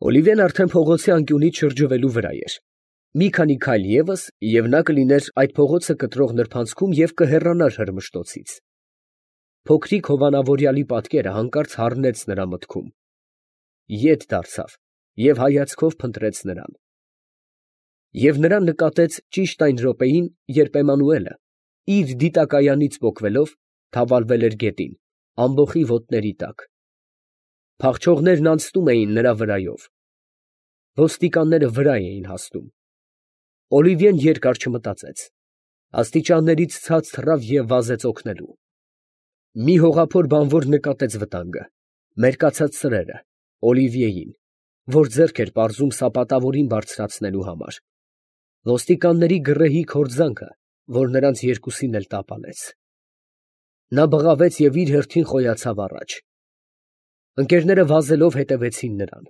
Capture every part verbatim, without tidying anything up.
Օլիվիեն արդեն փողոցի անկյունից շրջվելու վրա էր. մի քանի քայլ ևս, և նա կլիներ այդ փողոցը կտրող նրբանցքում և կհեռանար Հրմշտոցից. փոքրիկ հովանավորյալի պատկերը հանկարծ հառնեց նրա մտքում, ետ դարձավ և հայացքով փնտրեց նրան. և նրան նկատեց ճիշտ այն րոպեին, երբ Էմմանուելը, իր դիտակայանից պոկվելով, թավալվել էր գետին, ամբոխի ոտների տակ. փախչողներն անցնում էին նրա վրայով, ոստիկանները վրա էին հասնում. Օլիվիեն երկար չմտածեց, աստիճաններից ցած թռավ և վազեց օգնելու. մի հողափոր բանվոր նկատեց վտանգը, մերկացած սրերը, Օլիվիեին, որ ձեռք էր պարզում սապատավորին բարձրացնելու համար, ոստիկանների գռեհիկ հորձանքը, որ նրանց երկուսին էլ տապալեց. նա բղավեց և իր հերթին խոյացավ առաջ. ընկերները վազելով հետևեցին նրան.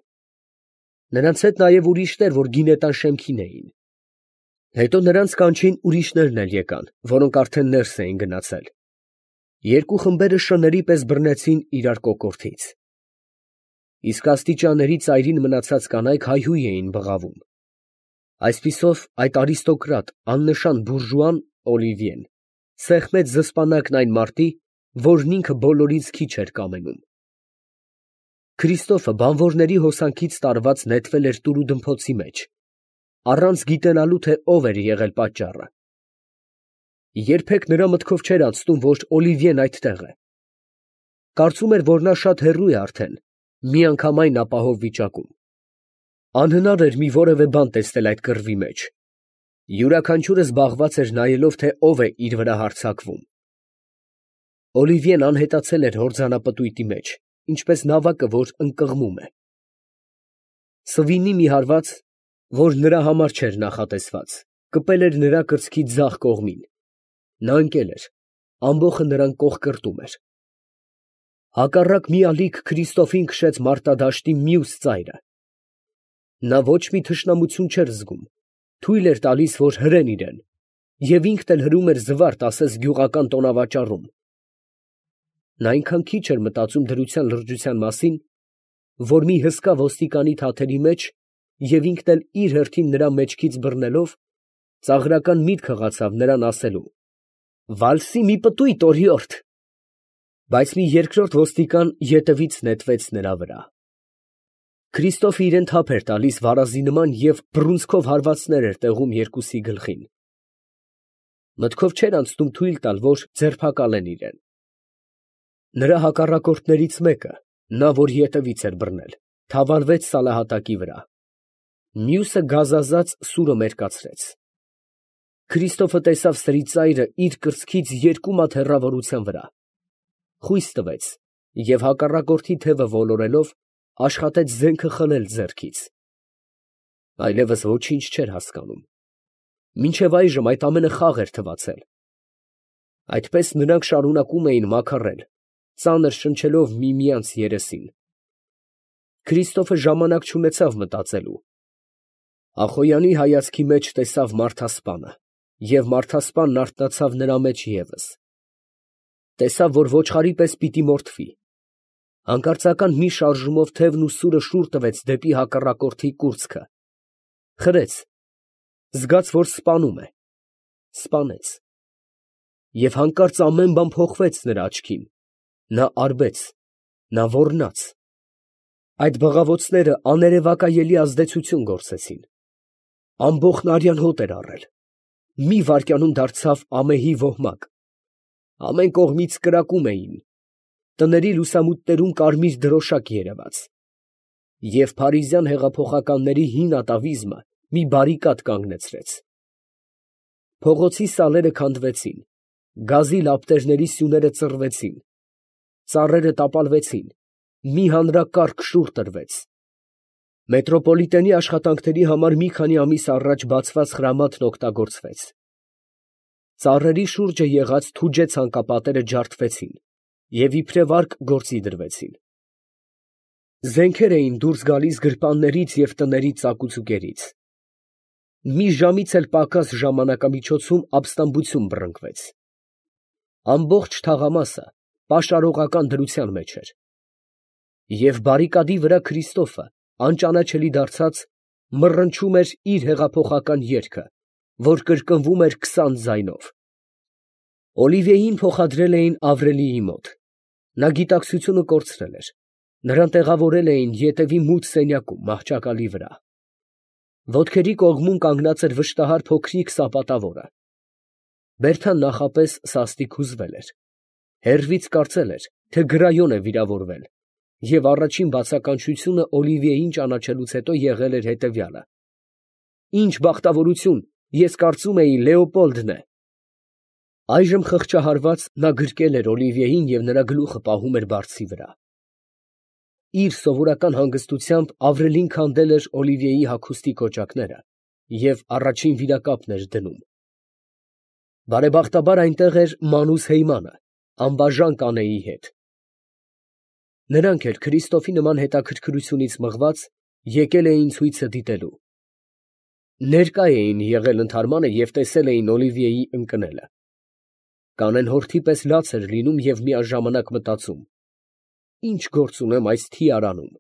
նրանց հետ նաև ուրիշներ, որ գինետան շեմքին էին. հետո նրանց կանչին ուրիշներն էլ եկան, որոնք արդեն ներս էին գնացել. երկու խմբերը շների պես բռնեցին իրար կոկորդից. իսկ աստիճանների ծայրին մնացած կանայք հայհույհ էին բղավում. այսպիսով այդ արիստոկրատ, աննշան բուրժուան Օլիվիեն սեղմեց զսպանակն այն մարդի, որն ինքը բոլորից քիչ էր կամենում. Քրիստոֆը բանվորների հոսանքից տարված նետվել էր տուրուդմփոցի մեջ, առանց գիտենալու, թե ով էր եղել պատճառը. երբեք նրա մտքով չէր անցնում, որ Օլիվիեն այդտեղ է. կարծում էր, որ նա շատ հեռու է արդեն, միանգամայն ապահով վիճակում. անհնար էր մի որևէ բան տեսնել այդ կռվի մեջ. յուրաքանչյուրը զբաղված էր նայելով, թե ով է իր վրա հարձակվում. Օլիվիեն անհետացել էր հորձանապտույտի մեջ, ինչպես նավակը, որ ընկղմում է. սվինի մի հարված, որ նրա համար չէր նախատեսված, կպել էր նրա կրծքի ձախ կողմին. նա ընկել էր, ամբոխը նրան կողկրտում էր. հակառակ մի ալիք Քրիստոֆին քշեց մարտադաշտի մյուս ծայրը. նա ոչ մի թշնամություն չէր զգում, թույլ էր տալիս, որ հրեն իրան, և ինքն էլ հրում էր զվարթ, ասես գյուղական տոնավաճառում. նա այնքան քիչ էր մտածում դրության լրջության մասին, որ մի հսկա ոստիկանի թաթերի մեջ և ինքն էլ իր հերթին նրա մեջքից բռնելով, ծաղրական միտք հղացավ նրան ասելու. «Վալսի մի պտույտ, օրիորդ», բայց մի երկրորդ ոստիկան ետևից նետվեց նրա վրա. Քրիստոֆը իրան թափ էր տալիս վարազի նման և բռունցքով հարվածներ էր տեղում երկուսի գլխին. մտքով չէր անցնում թույլ տալ, որ ձերբակալեն իրան. նրա հակառակորդներից մեկը, նա, որ ետևից էր բռնել, թավալվեց սալահատակի վրա. մյուսը գազազած սուրը մերկացրեց. Քրիստոֆը տեսավ սրի ծայրը իր կրծքից երկու մատ հեռավորության վրա, խույս տվեց և հակառակորդի թևը ոլորելով, աշխատեց զենքը խլել ձեռքից. այլևս ոչինչ չէր հասկանում. մինչև այժմ այդ ամենը խաղ էր թվացել. այդպես նրանք շարունակում էին մաքարել, ծանր շնչելով միմյանց երեսին. Քրիստոֆը ժամանակ չունեցավ մտածելու. Ախոյանի հայացքի մեջ տեսավ մարդասպանը, և մարդասպանն արթնացավ նրա մեջ ևս. տեսավ, որ ոչխարի պես պիտի մորթվի. հանկարծական մի շարժումով թևն ու սուրը շուռ տվեց դեպի հակառակորդի կուրծքը, խրեց, զգաց, որ սպանում է, սպանեց. և հանկարծ ամեն բան փոխվեց նրա աչքին, նա արբեց, նա ոռնաց. այդ բղավոցները աներևակայելի ազդեցություն գործեցին. ամբոխն արյան հոտ էր առել, մի վայրկյանում դարձավ ամեհի ոհմակ, ամեն կողմից կրակում էին, տների լուսամուտներում կարմիր դրոշակ երևաց, և փարիզյան հեղափոխականների հին ատավիզմը մի բարիկադ կանգնեցրեց. փողոցի սալերը քանդվեցին, գազի լապտերների սյուները ծռվեցին, ծառերը տապալվեցին, մի հանրակարգ շուռ տրվեց. մետրոպոլիտենի աշխատանքների համար մի քանի ամիս առաջ բացված խրամատն օգտագործվեց. ծառերի շուրջը եղած թուջե ցանկապատերը ջարդվեցին և իբրև արկ գործի դրվեցին. զենքեր էին դուրս գալիս գրպաններից և տներից ծակուցուկերից. մի ժամից էլ պակաս ժամանակամիջոցում ապստամբություն բռնկվեց. ամբողջ թաղամասը պաշարողական դրության մեջ էր. և բարիկադի վրա Քրիստոֆը անճանաչելի դարձած, մռնչում էր իր հեղափոխական երգը, որ կրկնվում էր քսան ձայնով։ Օլիվիեին փոխադրել էին Ավրելիի մոտ. նա գիտակցությունը կորցրել էր, նրան տեղավորել էին ետևի մութ սենյակում մահճակալի վրա։ Ոտքերի կողմում կանգնած էր վշտահար փոքրիկ սապատավորը։ Բերդան նախապես սաստիկ հուզվել էր, հեռվից կարծել էր, թե գրայոն է վիրավորվել, և առաջին բացականչությունը Օլիվիեին ճանաչելուց հետո եղել էր հետևյալը. «Ինչ բախտավորություն, ես կարծում էի Լեոպոլդն է»։ Այժմ խղճահարված նա գրկել էր Օլիվիեին և նրա գլուխը պահում էր բարձի վրա։ Իր սովորական հանգստությամբ Ավրելին քանդել էր Օլիվիեի հագուստի կոճակները և առաջին վիրակապն էր դնում։ Բարեբախտաբար այնտեղ էր Մանուս Հեյմանը, անբաժան կանեի հետ։ Նրանք էլ Քրիստոֆի նման հետաքրքրությունից մղված եկել էին ցույցը դիտելու։ Ներկա էին եղել ընդհարմանը և տեսել էին Օլիվիեի ընկնելը։ Կանեն հորթի պես լաց էր լինում և միաժամանակ մտածում. «Ինչ գործ ունեմ այս թիարանում»։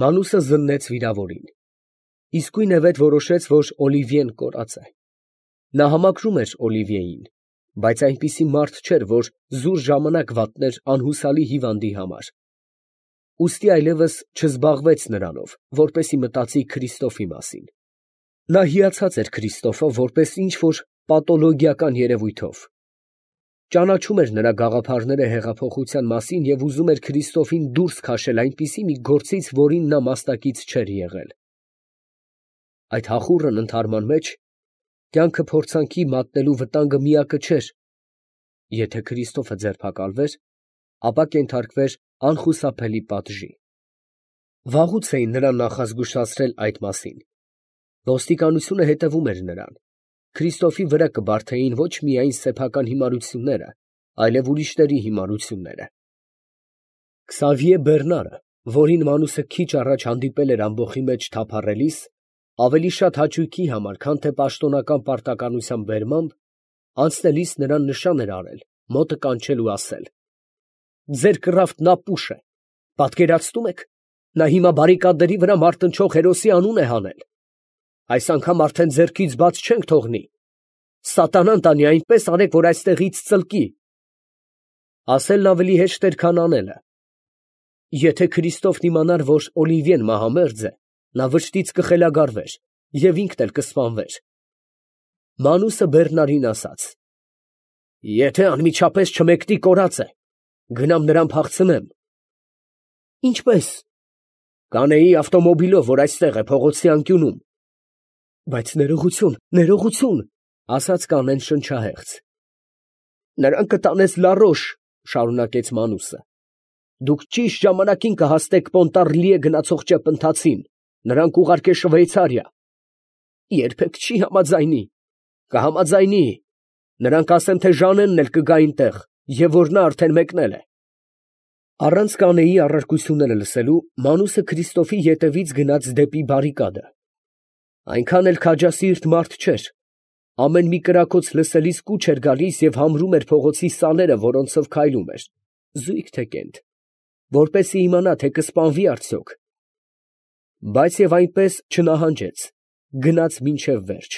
Մանուսը զննեց վիրավորին։ Իսկույնևեթ որոշեց, որ Օլիվիեն կորած է։ Նա համակրում էր Օլիվիեին, բայց այնպիսի մարդ չէր, որ զուր ժամանակ վատներ անհուսալի հիվանդի համար։ Ուստի այլևս չզբաղվեց նրանով, որպեսզի մտածի Քրիստոֆի մասին։ Նա հիացած էր Քրիստոֆը որպես ինչ֊որ պաթոլոգիական երևույթով։ Ճանաչում էր նրա գաղափարները հեղափոխության մասին և ուզում էր Քրիստոֆին դուրս քաշել այնպիսի մի գործից, որին նա մասնակից չէր եղել։ Այդ հախուռն ընդհարման մեջ կյանքը փորձանքի մատնելու վտանգը միակը չէր. եթե Քրիստոֆը ձերբակալվեր, ապա կենթարկվեր անխուսափելի պատժի։ Վաղուց էին նրան նախազգուշացրել այդ մասին։ Ոստիկանությունը հետևում էր նրան։ Քրիստոֆի վրա կբարդեին ոչ միայն սեփական հիմարությունները, այլև ուրիշների հիմարությունները։ Քսավիե Բեռնարը, որին Մանուսը քիչ առաջ հանդիպել էր ամբոխի մեջ թափառելիս, ավելի շատ հաճույքի համար, քան թե պաշտոնական պարտականության բերմամբ, անցնելիս նրան նշան էր արել, մոտը կանչել ու ասել. «Ձեր կռավտն ապուշ է, պատկերացնում եք, նա հիմա բարիկադների վրա մարտնչող հերոսի անուն է հանել։ Այս անգամ արդեն ձեռքից բաց չենք թողնի. սատանան տանի, այնպես արեք, որ այստեղից ծլկի»։ Ասելն ավելի հեշտ էր, քան անելը։ Եթե Քրիստոֆն իմանար, որ Օլիվիեն մահամերձ է, նա վշտից կխելագարվեր և ինքն էլ կսպանվեր։ Մանուսը Բեռնարին ասաց. «Եթե անմիջապես չմեկնի կորած է, գնամ նրան փախցնեմ»։ «Ինչպե՞ս»։ «Կանեի ավտոմոբիլով, որ այստեղ է, փողոցի անկյունում»։ «Բայց ներողություն, ներողություն», ասաց կանեն շնչահեղձ։ «Նրան կտանես Լարոշ», շարունակեց Մանուսը։ «Դուք ճիշտ ժամանակին կհասնեք Պոնտառլիե գնացող ճեպընթացին, նրան կուղարկե Շվեյցարիա։ Երբեք չի համաձայնի։ Կհամաձայնի։ Նրան կասեմ, թե Ժանենն էլ կգա այնտեղ, և որ նա արդեն մեկնել է»։ Առանց կանեի առարկությունները լսելու, Մանուսը Քրիստոֆի ետևից գնաց դեպի բարիկադը։ Այնքան էլ քաջասիրտ մարդ չէր։ Ամեն մի կրակոց լսելիս կուչ էր գալիս և համրում էր փողոցի սալերը, որոնցով քայլում էր, զույգ թե կենդը, որպեսզի իմանա, թե կսպանվի արդյոք։ Բայց և այնպես չնահանջեց, գնաց մինչև վերջ։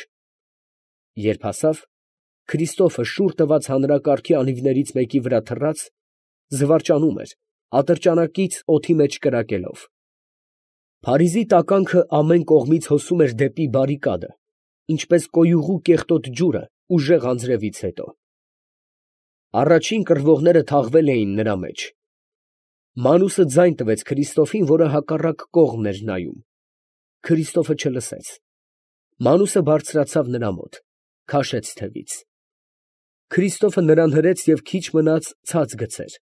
Երբ հասավ, Քրիստոֆը շուռ տված հանրակարգի անիվներից մեկի վրա թռած, զվարճանում էր, ատրճանակից օդի մեջ կրակելով։ Փարիզի տականքը ամեն կողմից հոսում էր դեպի բարիկադը, ինչպես կոյուղու կեղտոտ ջուրը ուժեղ անձրևից հետո։ Առաջին կռվողները թաղվել էին նրա մեջ։ Մանուսը ձայն տվեց Քրիստոֆին, որը հակառակ կողմն էր նայում։ Քրիստոֆը չլսեց։ Մանուսը բարձրացավ նրա մոտ, քաշեց թևից։ Քրիստոֆը նրան հրեց և քիչ մնաց ցած գցեր։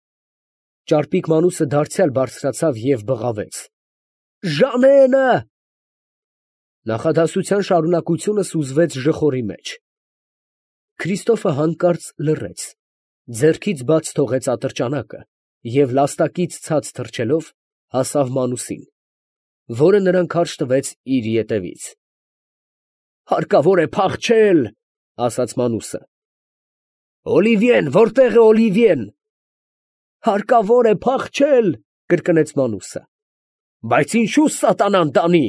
Ճարպիկ Մանուսը դարձյալ բարձրացավ և բղավեց. «Ժանենը»։ Նախադասության շարունակությունը սուզվեց ժխորի մեջ։ Քրիստոֆը հանկարծ լռեց, ձեռքից բաց թողեց ատրճանակը և լաստակից ցած թռչելով հասավ Մանուսին, որը նրան քարշ տվեց իր ետևից։ «Հարկավոր է փախչել», ասաց Մանուսը։ «Օլիվիեն, որտե՞ղ է Օլիվիեն»։ «Հարկավոր է փախչել», կրկնեց Մանուսը։ Բայց ինչու սատանան տանի,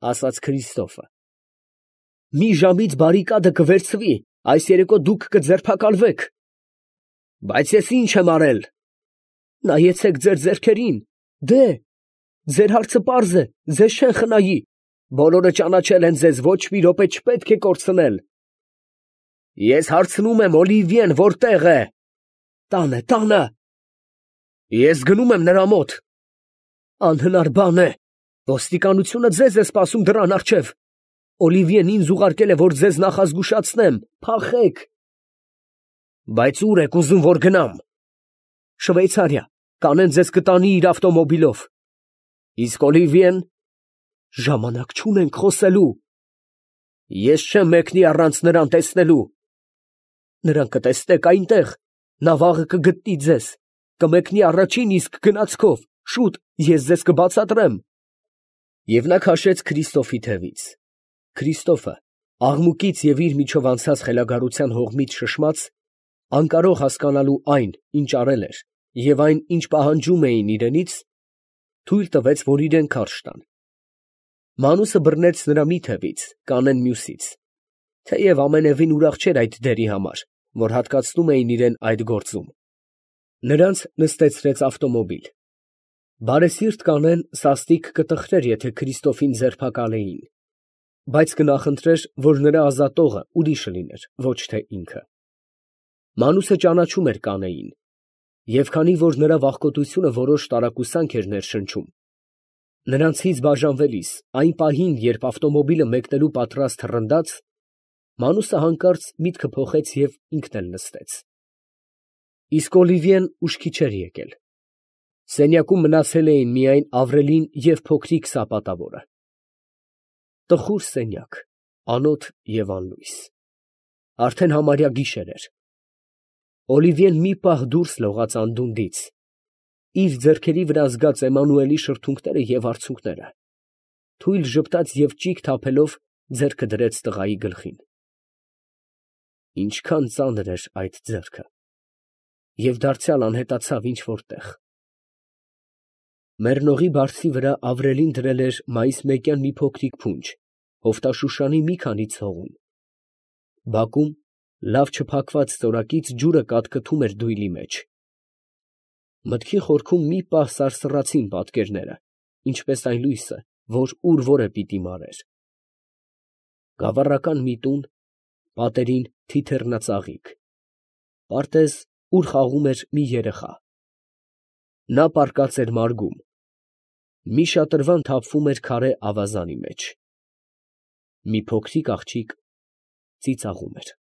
ասաց Քրիստոֆը։ Մի ժամից բարիկադը կվերցվի, այս երեկո դուք կձերբակալվեք։ Բայց ես ինչ եմ արել։ Նայեցեք ձեր ձեռքերին, դե, ձեր հարցը պարզ է, ձեզ չեն խնայի, բոլորը ճանաչել են ձեզ, ոչ մի րոպե չպետք է կորցնել։ Ես հարցնում եմ Օլիվիեն որտեղ է։ Տանը, տանը։ Ես գնում եմ նրա մոտ։ Անհնար բան է, ոստիկանությունը ձեզ է սպասում դռան առջև։ Օլիվիեն ինձ ուղարկել է, որ ձեզ նախազգուշացնեմ, փախեք։ Բայց ուր եք ուզում, որ գնամ։ Շվեյցարիա, կանեն ձեզ կտանի իր ավտոմոբիլով։ Իսկ Օլիվիեն, ժամանակ չունենք խոսելու։ Ես չեմ մեկնի առանց նրան տեսնելու։ Նրան կտեսնեք այնտեղ, նա վաղը կգտնի ձեզ, կմեկնի առաջին իսկ գնացքով, շուտ, ես ձեզ կբացատրեմ։ Եվ նա քաշեց Քրիստոֆի թևից։ Քրիստոֆը, աղմուկից և իր միջով անցած խելագարության հողմից շշմած, անկարող հասկանալու այն, ինչ արել էր, և այն, ինչ պահանջում էին իրենից, թույլ տվեց, որ իրեն քարշ տան։ Մանուսը բռնեց նրա մի թևից, Կանեն մյուսից, թեև ամենևին ուրախ չէր այդ դերի համար, որ հատկացնում էին իրան այդ գործում։ Նրանց նստեցրեց ավտոմոբիլ։ Բարեսիրտ Կանեն սաստիկ կտխրեր, եթե Քրիստոֆին ձերբակալեին, բայց կնախընտրեր, որ նրա ազատողը ուրիշը լիներ, ոչ թե ինքը։ Մանուսը ճանաչում էր Կանեին, և քանի որ նրա վախկոտությունը որոշ տարակուսանք էր ներշնչում, նրանցից բաժանվելիս, այն պահին, երբ ավտոմոբիլը մեկնելու պատրաստ հռնդաց, Մանուսը հանկարծ միտքը փոխեց և ինքն էլ նստեց։ Իսկ Օլիվիեն ուշքի չէր եկել։ Սենյակում մնացել էին միայն Ավրելին և փոքրիկ սապատավորը։ Տխուր սենյակ, անոթ և անլույս։ Արդեն համարյա գիշեր էր։ Օլիվիեն մի պահ դուրս լողաց անդունդից, իր ձեռքերի վրա զգաց Էմմանուելի շրթունքները և արցունքները, թույլ ժպտաց և ճիգ թափելով ձեռքը դրեց տղայի գլխին։ Ինչքան ծանր էր այդ ձեռքը, և դարձյալ անհետացավ ինչ֊որ տեղ։ Մեռնողի բարձի վրա Ավրելին դրել էր մայիսմեկյան մի փոքրիկ փունջ, հովտաշուշանի մի քանի ցողուն։ Բակում լավ չփակված ծորակից ջուրը կատկթում էր դույլի մեջ։ Մտքի խորքում մի պահ սարսռացին պատկերները, ինչպես այն լույսը, որ ուր֊որ է պիտի մարեր։ Գավառական մի տուն, պատերին թիթեռնածաղիկ, պարտեզ, ուր խաղում էր մի երեխա։ Նա պառկած էր մարգում, մի շատրվան թափվում էր քարե ավազանի մեջ։ Մի փոքրիկ աղջիկ ծիծաղում էր։